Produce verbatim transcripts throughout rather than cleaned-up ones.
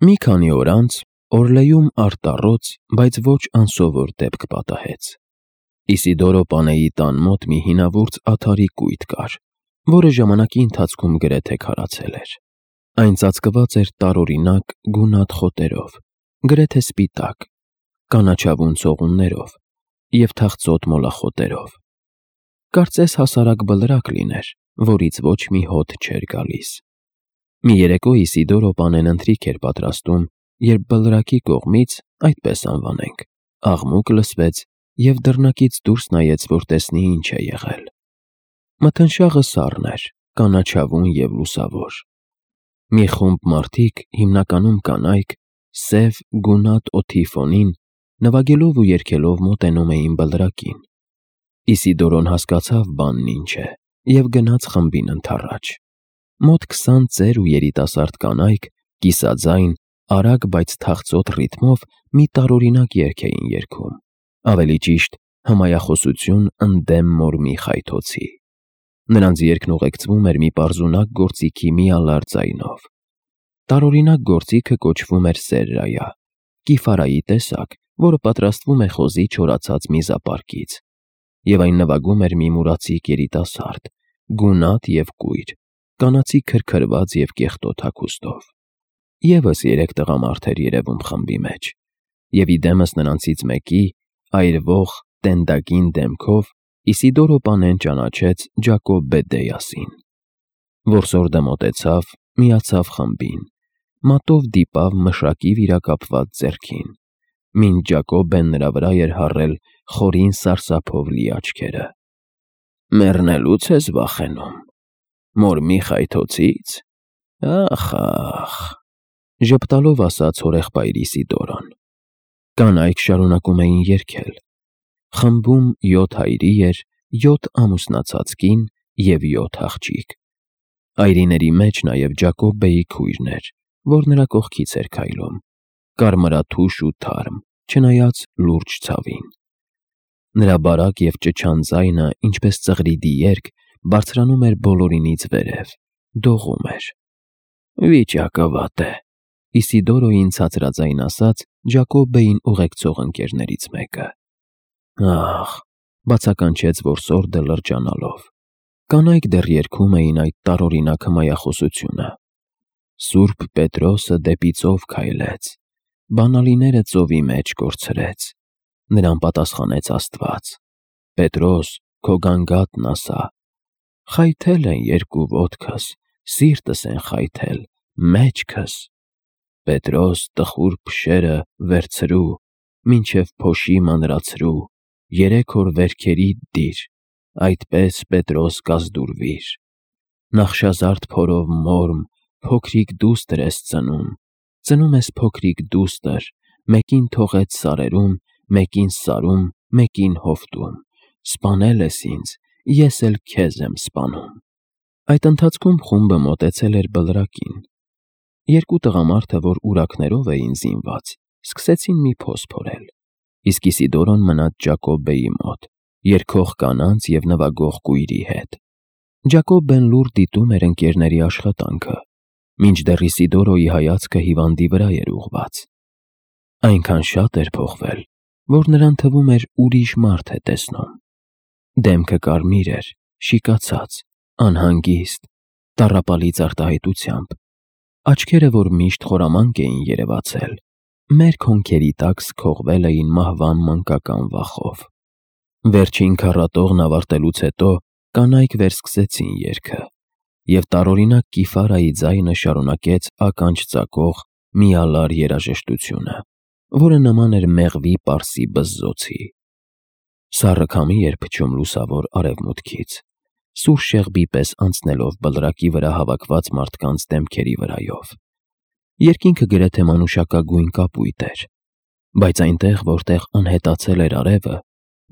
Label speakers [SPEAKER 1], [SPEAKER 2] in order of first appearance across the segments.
[SPEAKER 1] Մի քանի օր անց Օրլեյում արտառոց, բայց ոչ անսովոր դեպք պատահեց։ Իսիդորո պանեի տան մոտ մի հինավուրց աթոռի կույտ կար, որը ժամանակի ընթացքում գրեթե քարացել էր։ Այն ծածկված էր տարօրինակ գունատ խոտերով, գրեթե սպիտակ, կանաչավուն ցողուններով և թախծոտ մոլախոտերով։ Կարծես հասարակ բլրակ լիներ, որից ոչ մի հոտ չէր գալիս։ Մի երեկո Իսիդորո պանեն ընթրիք էր պատրաստում, երբ բլրակի կողմից, այդպես անվանենք, աղմուկ լսվեց և դռնակից դուրս նայեց, որ տեսնի ինչ է եղել։ Մթնշաղը սառն էր, կանաչավուն և լուսավոր։ Մի խումբ մարդիկ, հիմնականում կանայք, սև գունատ օդի ֆոնին, նվագելով ու երգելով մոտենում էին բլրակին։ Իսիդորոն հասկացավ բանն ինչ է և գնաց խմբին ընդառաջ։ Մոտ քսան ծեր ու երիտասարդ կանայք, կիսաձայն, արագ, բայց թախծոտ ռիթմով մի տարօրինակ երգ էին երգում, ավելի ճիշտ, հմայախոսություն ընդդեմ մորմի խայթոցի։ Նրանց երգն ուղեկցվում էր մի պարզունակ գործիքի միալար ձայնով։ Տարօրինակ գործիքը կոչվում էր սերրայա, կիֆարայի տեսակ, որը պատրաստվում է խոզի չորացած միզապարկից, և այն նվագում էր մի մուրացիկ երիտասարդ, գունատ և կույր, կանացի քրքրված և կեղտոտ հագուստով։ Եվս երեք տղամարդ էր երևում խմբի մեջ, և ի դեմս նրանցից մեկի, այրվող, տենդագին դեմքով Իսիդորո պանեն ճանաչեց Ջակոբբեդեասին։ Որսորդը մոտեցավ, միացավ խմբին, մատով դիպավ մշակի վիրակապված ձեռքին, մինչ Ջակոբբեն նրա վրա էր հառել խորին սարսափով լի աչքերը։ «Մեռնելո՞ւց ես վախենում, մորմի խայթոցի՞ց, ա՜խ, ա՜խ», ժպտալով ասաց հորեղբայր Իսիդորոն։ Կանայք շարունակում էին երգել։ Խմբում յոթ այրի էր, յոթ ամուսնացած կին և յոթ աղջիկ։ Այրիների մեջ նաև Ջակոբբեի քույրն էր, որ նրա կողքից էր քայլում, կարմրաթուշ ու թարմ, չնայած լուրջ ցավին։ Նրա բարակ և ճչան ձայնը, ինչպես ծղրիդի երգ, բարձրանում էր բոլորինից վերև, դողում էր։ «Վիճակը վատ է», Իսիդորոյին ցածրաձայն ասաց Ջակոբբեին ուղեկցող ընկերներից մեկը։ «Ախ», բացականչեց որսորդը լրջանալով։ Կանայք դեռ երգում էին այդ տարօրինակ հմայախոսությունը. «Սուրբ Պետրոսը դեպի ծով քայլեց, բանալիները ծովի մեջ կորցրեց, նրան պատասխանեց Աստված. Պետրոս, քո գանգատն ասա, խայթել են երկու ոտքս, սիրտս են խայթել, մեջքս, Պետրոս, տխուր փշերը վերցրու, մինչև փոշի մանրացրու, երեք օր վերքերիդ դիր, այդպես Պետրոս կազդուրվիր։ Նախշազարդ փորով մորմ, փոքրիկ դուստր ես ծնում, ծնում ես փոքրիկ դուստր, մեկին թողեց սարերում, մեկին սարում, մեկին հովտում, սպանել ես ինձ, ես էլ քեզ եմ սպանում»։ Այդ ընթացքում խումբը մոտեցել էր բլրակին։ Երկու տղամարդը, որ ուրաքներով էին զինված, սկսեցին մի փոս փորել, իսկ Իսիդորոն մնաց Ջակոբբեի մոտ, երգող կանանց և նվագող կույրի հետ։ Ջակոբբեն լուռ դիտում էր ընկերների աշխատանքը, մինչդեռ Իսիդորոյի հայացքը հիվանդի վրա էր ուղղված։ Այնքան շատ էր փոխվել, որ նրան թվում էր ուրիշ մարդ է տեսնում։ Դեմքը կարմիր էր, շիկացած, անհանգիստ, տառապալից արտահայտությամբ, աչքերը, որ միշտ խորամանկ էին երևացել, մերկ հոնքերի տակ սքողվել էին մահվան մանկական վախով։ Վերջին քառատողն ավարտելուց հետո կանայք վերսկսեցին երգը, և տարօրինակ կիֆարայի ձայնը շարունակեց ականջ ծակող միալար երաժշտությունը, որը նման էր մեղվի պարսի բզզոցի։ Սառը քամի էր փչում լուսավոր արևմուտքից, սուր շեղբի պես անցնելով բլրակի վրա հավաքված մարդկանց դեմքերի վրայով։ Երկինքը գրեթե մանուշակագույն կապույտ էր, բայց այնտեղ, որտեղ անհետացել էր արևը,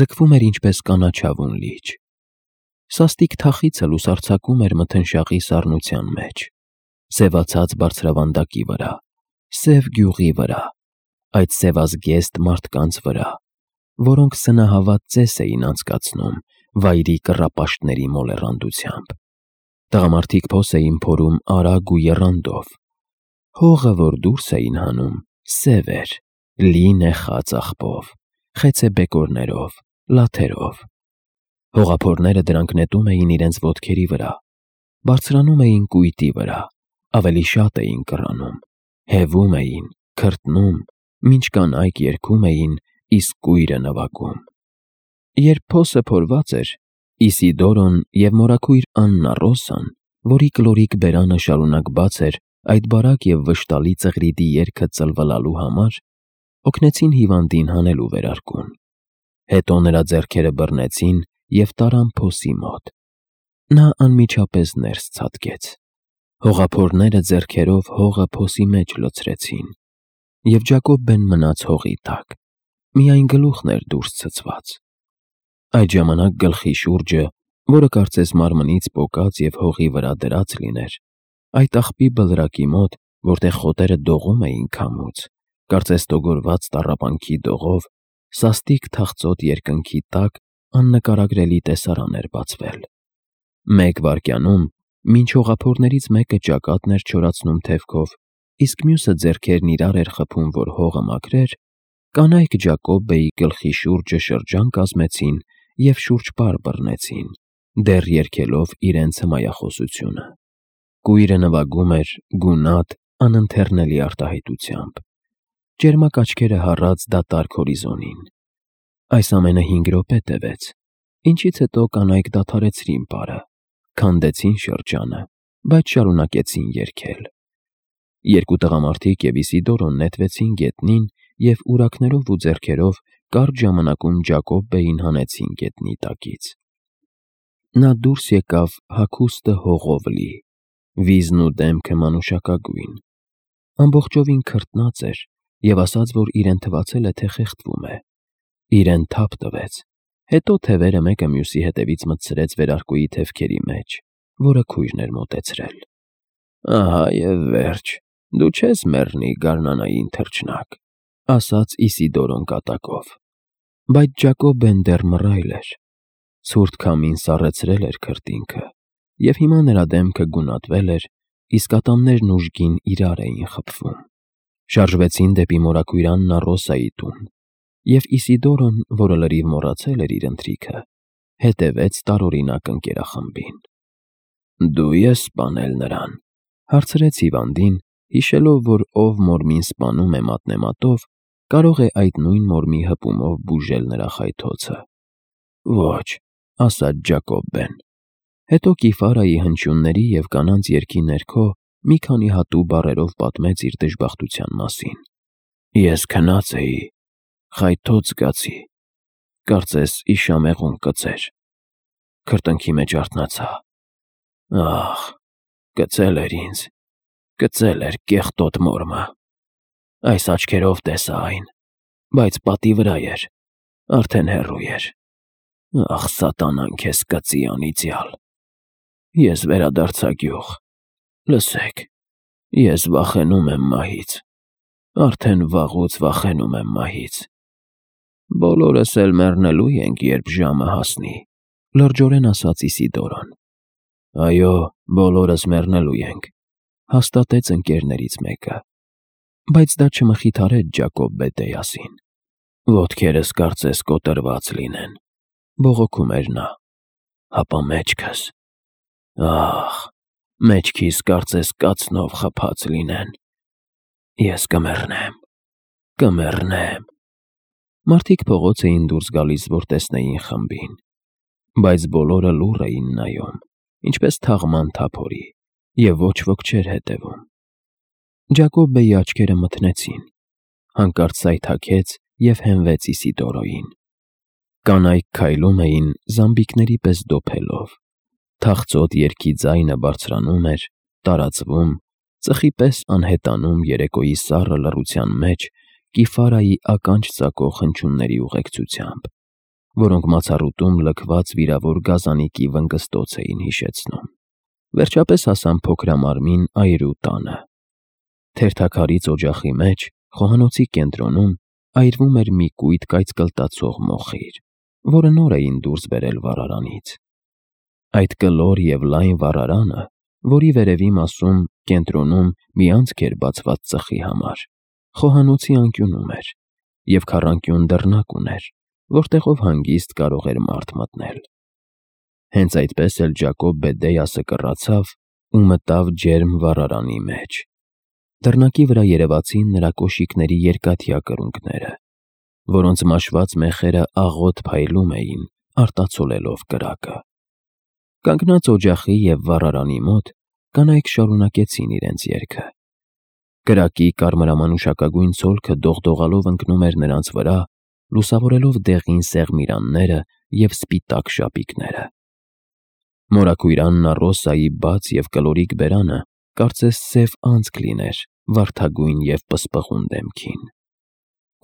[SPEAKER 1] ձգվում էր ինչպես կանաչավուն լիճ։ Սաստիկ թախիցը լուսարձակում էր մթնշաղի սառնության մեջ, սևացած բարձրավանդակի վրա, սև գյուղի վրա, այդ սևազգեստ մարդկանց վրա, որոնք սնահավատ ծես էին անցկացնում վայրի կռապաշտների մոլեռանդությամբ։ Տղամարդիկ փոս էին փորում արագ ու եռանդով։ Հողը, որ դուրս էին հանում, սև էր, լի նեխած աղբով, խեցե բեկորներով, լաթերով։ Հողափորները դրանք նետում էին իրենց ոտքերի վրա, բարձրանում էին կույտի վրա, ավելի շատ էին կռանում, հևում էին, քրտնում, մինչ կանայք երգում էին, իսկ կույրը նվագում։ Երբ փոսը փորված էր, Իսիդորոն և մորաքույր Աննա Ռոսան, որի կլորիկ բերանը շարունակ բաց էր այդ բարակ և վշտալի ծղրիդի երգը ծլվլալու համար, օգնեցին հիվանդին հանելու վերարկուն։ Հետո նրա ձեռքերը բռնեցին և տարան փոսի մոտ։ Նա անմիջապես ներս ցատկեց։ Հողափորները ձեռքերով հողը փոսի մեջ լցրեցին, և Ջակոբբեն մնաց հողի տակ, միայն գլուխն էր դուրս ցցված։ Այդ ժամանակ գլխի շուրջը, որը կարծես մարմնից պոկած և հողի վրա դրած լիներ, այդ աղբի բլրակի մոտ, որտեղ խոտերը դողում էին քամուց, կարծես տոգորված տառապանքի դողով, սաստիկ թախծոտ երկնքի տակ աննկարագրելի տեսարան էր բացվել։ Մեկ վայրկյանում, մինչ հողափորներից մեկը ճակատն էր չորացնում թևքով, իսկ մյուսը ձեռքերն իրար էր խփում, որ հողը մաքրեր, կանայք Ջակոբբեի գլխի շուրջը շրջան կազմեցին և շուրջպար բռնեցին, դեռ երգելով իրենց հմայախոսությունը։ Կույրը նվագում էր գունատ, անընթեռնելի արտահայտությամբ։ Ճերմակ աչքերը հառած դատարկ հորիզոնին։ Այս ամենը հինգ րոպե տևեց, ինչից հետո կանայք դադարեցրին պարը, քանդեցին շրջանը, բայց շարունակեցին երգել։ Երկու տղամարդիկ և Իսիդորոն նետվեցին գետնին և ուրակներով ու ձեռքերով կարճ ժամանակում Ջակոբբեին հանեցին գետնի տակից։ Նա դուրս եկավ հագուստը հողով լի, վիզն ու դեմքը մանուշակագույն, ամբողջովին քրտնած էր և ասաց, որ իրեն թվացել է, թե խեղդվում է։ Իրեն թափ տվեց, հետո թևերը մեկը մյուսի հետևից մտցրեց վերարկուի թևքերի մեջ, որը քույրն էր մոտեցրել։ Ահա և վերջ, դու չես մեռնի, գարնանային թռչնակ, ասաց Իսիդորոն կատակով։ Բայց Ջակոբբեն դեռ մռայլ էր։ Ցուրտ քամին սառեցրել էր քրտինքը, և հիմա նրա դեմքը գունատվել էր, իսկ ատամներն ուժգին իրար էին խփվում։ Շարժվեցին դեպի մորաքույր Աննա Ռոսայի տուն, և Իսիդորոն, որը լրիվ մոռացել էր իր ընթրիքը, հետևեց տարօրինակ ընկերախմբին։ Դու ես սպանել նրան, հարցրեց հիվանդին, հիշելով, որ ով Մորմին սպանում է մատնեմատով, կարող է այդ նույն Մորմի հպումով բուժել նրա խայթոցը։ Ոչ, ասաց Ջակոբբեն։ Հետո Կիֆարայի հնչյունների և կանանց երգի ներքո մի քանի հատու բառերով պատմեց իր դժբախտության մասին։ Ես քնած էի, խայթոց զգացի, կարծես իշամեղուն կծեր, քրտինքի մեջ արթնացա։ Ահ, կծել էր ինձ, կծել էր կեղտոտ Մորմը։ Այս աչքերով տեսա այն, բայց պատի վրա էր, արդեն հեռու էր։ Ախ, սատանան քեզ կծի, անիծյալ։ Ես վերադարձա գյուղ։ Լսեք, ես վախենում եմ մահից, արդեն վաղուց վախենում եմ մահից։ Բոլորս էլ մեռնելու ենք, երբ ժամը հասնի, լրջորեն ասաց Իսիդորոն։ Այո, բոլորս մեռնելու ենք, հաստատեց ընկերներից մեկը։ Բայց դա չմխիթարեց Ջակոբբե Դեյասին։ Ոտքերս կարծես կոտրված լինեն, բողոքում էր նա, հապա մեջքս, ահ, մեջքիս կարծես կացնով խփած լինեն։ Ես կմեռնեմ, կմեռնեմ։ Մարդիկ փողոց էին դուրս գալիս, որ տեսնեին խմբին, բայց բոլորը լուռ էին նայում, ինչպես թաղման թափորի, և ոչ ոք չէր հետևում։ Ջակոբբեի աչքերը մթնեցին, հանկարծ սայթաքեց և հենվեց Իսիդորոյին։ Կանայք քայլում էին զամբիկների պես դոփելով, թախծոտ երգի ձայնը բարձրանում էր, տարածվում, ծխի պես անհետանում երեկոյի սառը լռության մեջ Կիֆարայի ականջ ծակող հնչյունների ուղեկցությամբ, որոնք մացառուտում լքված վիրավոր գազանիկի վնգստոց էին հիշեցնում։ Վերջապես հասան փոքրամարմին այրու տանը։ Թերթաքարից օջախի մեջ, խոհանոցի կենտրոնում, այրվում էր մի կույտ կայծկլտացող մոխիր, որը նոր էին դուրս բերել վառարանից։ Այդ կլոր և լայն վառարանը, որի վերևի մասում կենտրոնում մի անցք էր բացված ծխի համար, խոհանոցի անկյունում էր, և քառանկյուն դռնակ ուներ, որտեղով հանգիստ կարող էր մարդ մտնել։ Հենց այդպես էլ Ջակոբ Բեդեյասը կռացավ ու մտավ ջերմ վառարանի մեջ։ Դռնակի վրա երևացին նրա կոշիկների երկաթյա կրունկները, որոնց մաշված մեխերը աղոտ փայլում էին, արտացոլելով կրակը։ Կանգնած օջախի և վառարանի մոտ կանայք շարունակեցին իրենց երգը։ Կրակի կարմրամանուշակագույն ցոլքը դողդողալով ընկնում էր նրանց վրա, լուսավորելով դեղին սեղմիրանները և սպիտակ շապիկները։ Մորաքույր Աննա Ռոսայի բաց և կլորիկ բերանը կարծես սև անցք լիներ վարդագույն և պսպղուն դեմքին։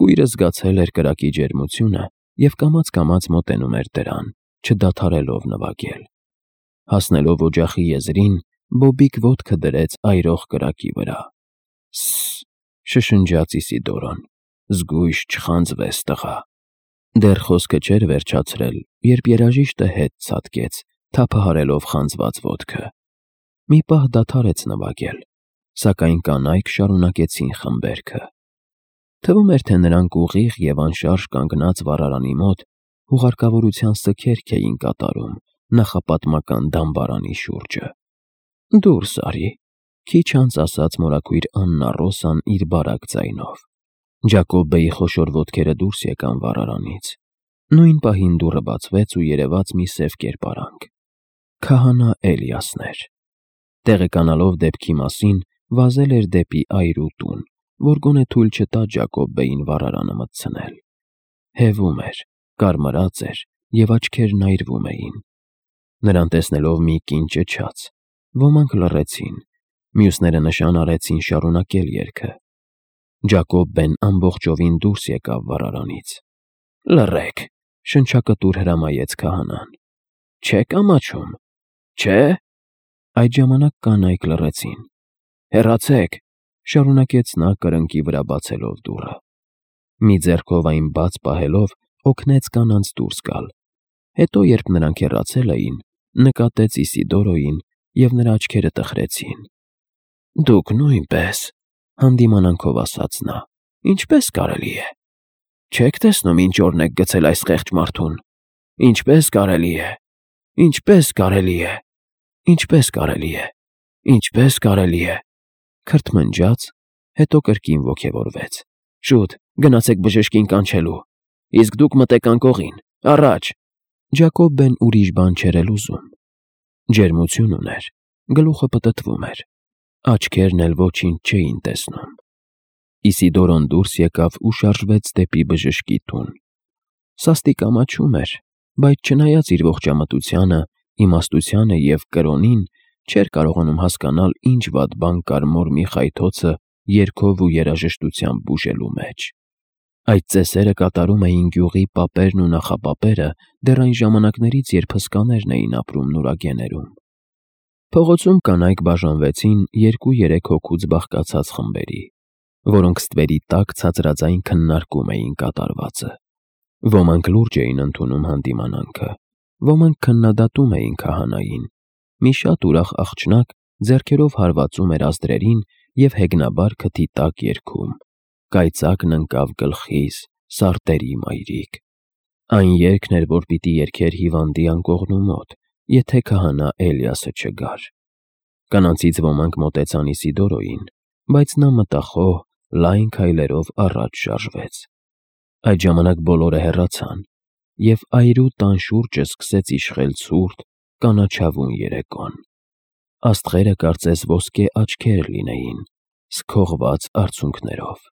[SPEAKER 1] Կույրը զգացել էր կրակի ջերմությունը և կամաց-կամաց մոտենում էր դրան, չդադարելով նվագել։ Հասնելով օջախի եզրին, Բոբիկ ոտքը դրեց այրող կրակի վրա։ «Ս֊ս֊ս», շշնջաց Իսիդորոն, «զգույշ չխանձվես, տղա»։ Դեռ խոսքը չէր վերջացրել, երբ երաժիշտը հետ ցատկեց, թափահարելով խանձված ոտքը։ Մի պահ դադարեց նվագել, սակայն կանայք շարունակեցին խմբերգը։ Թվում էր, թե նրանք ուղիղ և անշարժ կանգնած վառարանի մոտ հուղարկավորության սգերք էին կատարում նախապատմական դամբարանի շուրջը։ «Դուրս արի», քիչ անց ասաց մորաքույր Աննա Ռոսան իր բարակ ձայնով։ Ջակոբբեի խոշոր ոտքերը դուրս եկան վառարանից։ Նույն պահին դուռը բացվեց ու երևաց մի սև կերպարանք։ Քահանա Էլիասն էր։ Տեղեկանալով դեպքի մասին, վազել էր դեպի այրու տուն, որ գոնե թույլ չտա Ջակոբբեին վառարանը մտցնել։ Հևում էր, կարմրած էր և աչքերն այրվում էին։ Նրան տեսնելով մի կին ճչաց։ Ոմանք լռեցին, մյուսները նշան արեցին շարունակել երգը։ Ջակոբբեն ամբողջովին դուրս եկավ վառարանից։ «Լռեք», շնչակտուր հրամայեց քահանան։ «Չե՞ք ամաչում, չէ՞»։ Այդ ժամանակ կանայք լռեցին։ «Հեռացեք», շարունակեց նա կրնկի վրա բացելով դուռը։ Մի ձեռքով այն բաց պահելով օգնեց կանանց դուրս գալ։ Հետո, երբ նրանք հեռացել էին, նկատեց Իսիդորոյին, և նրա աչքերը տխրեցին։ «Դուք նույնպես», հանդիմանանքով ասաց նա, «ինչպե՞ս կարելի է։ Չեք տեսնում ինչ օրն եք գցել այս խեղճ մարդուն։ Ինչպե՞ս կարելի է, ինչպե՞ս կարելի է, ինչպե՞ս կարելի է, ինչպե՞ս կարելի է», քրթմնջաց, հետո կրկին ոգևորվեց։ «Շուտ, գնացեք բժշկին կանչելու։ Իսկ դուք մտեք անկողին, առաջ»։ Ջակոբբեն ուրիշ բան չէր էլ ուզում։ Ջերմություն ուներ, գլուխը պտտվում էր, աչքերն էլ ոչինչ չէին տեսնում։ Իսիդորոն դուրս եկավ ու շարժվեց դեպի բժշկի տուն։ Սաստիկ ամաչում էր, բայց չնայած իր ողջամտությանը, իմաստությանը և կրոնին, չէր կարողանում հասկանալ ինչ վատ բան կար մոր Միխայթոցը երգով ու երաժշտությամբ բուժելու մեջ։ Այդ ծեսերը կատարում էին գյուղի պապերն ու նախապապերը դեռ այն ժամանակներից, երբ հսկաներն էին ապրում նուրագեներում։ Փողոցում կանայք բաժանվեցին երկու-երեք հոգուց բաղկացած խմբերի, որոնք ստվերի տակ ցածրաձայն քննարկում էին կատարվածը։ Ոմանք լուրջ էին ընդունում հանդիմանանքը, ոմանք քննադատում էին քահանային։ Մի շատ ուրախ աղջնակ ձեռքերով հարվածում էր ազդրերին և հեգնաբար քթի տակ երգում. «Կայծակն ընկավ գլխիս, սարտերի մայրիկ»։ Այն երգն էր, որ պիտի երգեր հիվանդի անկողնու մոտ, եթե քահանա Էլիասը չգար։ Կանանցից ոմանք մոտեցան Իսիդորոյին, բայց նա մտախոհ, լայն քայլերով առաջ շարժվեց։ Այդ ժամանակ բոլորը հեռացան, և այրու տան շուրջը սկսեց իշխել ցուրտ, կանաչավուն երեկոն։ Աստղերը կարծես ոսկե աչքեր լինեին՝ սքողված արցունքներով։